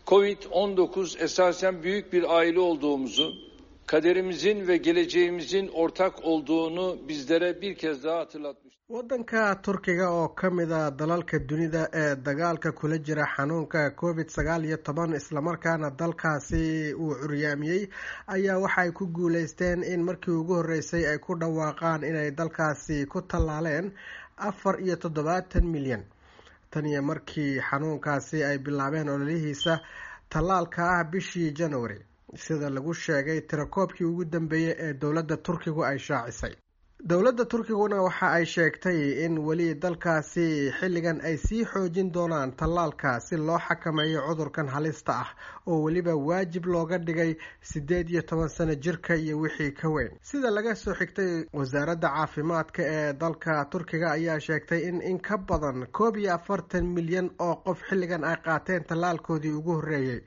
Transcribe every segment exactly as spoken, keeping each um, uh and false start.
Covid on dokuz esasen büyük bir aile olduğumuzu, kaderimizin ve geleceğimizin ortak olduğunu bizlere bir kez daha hatırlatmıştır. Waddanka Turkiga oo ka mid a dalalka dunida ee dagaalka kula jira xanuunka Covid sagaal iyo toban islamarkaana dalkaasi uu curyaamiyey ayaa waxay ku guuleysteen in markii ugu horreysay ay ku dhawaaqaan inay dalkaasi ku tallaaleen afar iyo toddobaatan milyan. Tan iyo markii xanuunkaasi ay bilaabeen ololihiisa tallaalka ah bishii January, sida lagu sheegay tirakoobkii ugu dambeeyey ee dowladda Turkigu ay shaacisay. Dowladda Turkiguna waxa ay sheegtay in weli dalkaasi xilligan ay sii xoojin doonaan tallaalka si loo xakameeyo cudurkan halista ah oo weliba waajib looga dhigay siddeed iyo toban sano jirka iyo wixii ka weyn. Sida laga soo xigtay wasaaradda caafimaadka ee dalka Turkiga ayaa sheegtay in in ka badan koob iyo afartan milyan oo qof xilligan ay qaateen tallaalkoodii ugu horreeyey,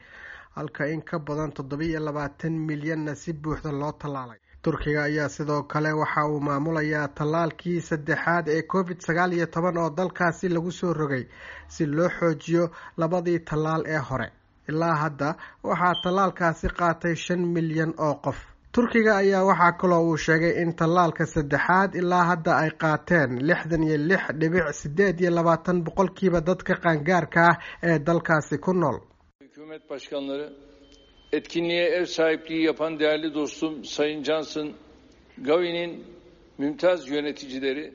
halka in ka badan toddoba iyo labaatan milyanna si buuxda loo tallaalay. Turkiga ayaa sidoo kale waxa uu maamulayaa tallaalkii saddexaad ee Covid sagaal iyo toban oo dalkaasi lagu soo rogay si loo xoojiyo labadii tallaal ee hore. Ilaa hadda waxaa tallaalkaasi qaatay shan milyan oo qof. Turkiga ayaa waxaa kaloo uu sheegay in tallaalka saddexaad ilaa hadda ay qaateen lixdan iyo lix dhibic siddeed iyo labaatan boqolkiiba dadka qaangaarka ah ee dalkaasi ku nool. Hükümet başkanları, etkinliğe ev sahipliği yapan değerli dostum Sayın Johnson, Gavi'nin mümtaz yöneticileri.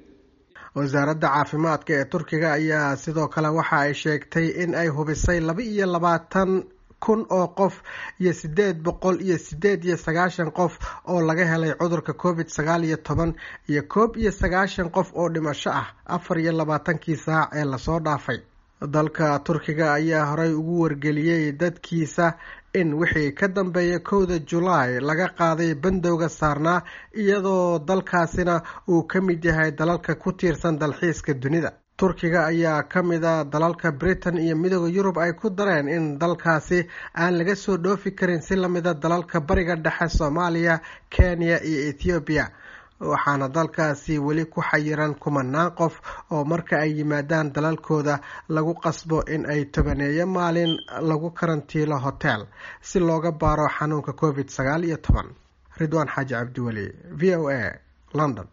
Wasaaradda caafimaadka ee Turkiga ayaa sidoo kale waxa ay sheegtay in ay hubisay laba iyo labaatan kun oo qof iyo siddeed boqol iyo siddeed iyo sagaashan qof oo laga helay cudurka Covid sagaal iyo toban iyo koob iyo sagaashan qof oo dhimasho ah afar iyo labaatankii saac ee lasoo dhaafay. Dalka Turkiga ayaa horey ugu wargeliyey dadkiisa in wixii ka dambeeya kowda Julaay laga qaaday bandowga saarnaa, iyadoo dalkaasina uu ka mid yahay dalalka ku tiirsan dalxiiska dunida. Turkiga ayaa ka mid a dalalka Britain iyo Midowda Yurub ay ku dareen in dalkaasi aan laga soo dhoofi karin si lamida dalalka Bariga Dhexe, Soomaaliya, Kenya iyo Ethiopia. Waxaana dalkaasi weli ku xayiran kumanaan qof oo marka ay yimaadaan dalalkooda lagu qasbo in ay tobaneeyo maalin lagu karantiilo hotel si looga baaro xanuunka Covid sagaal iyo toban. Ridwaan Xaaji Cabdiweli, V O A, London.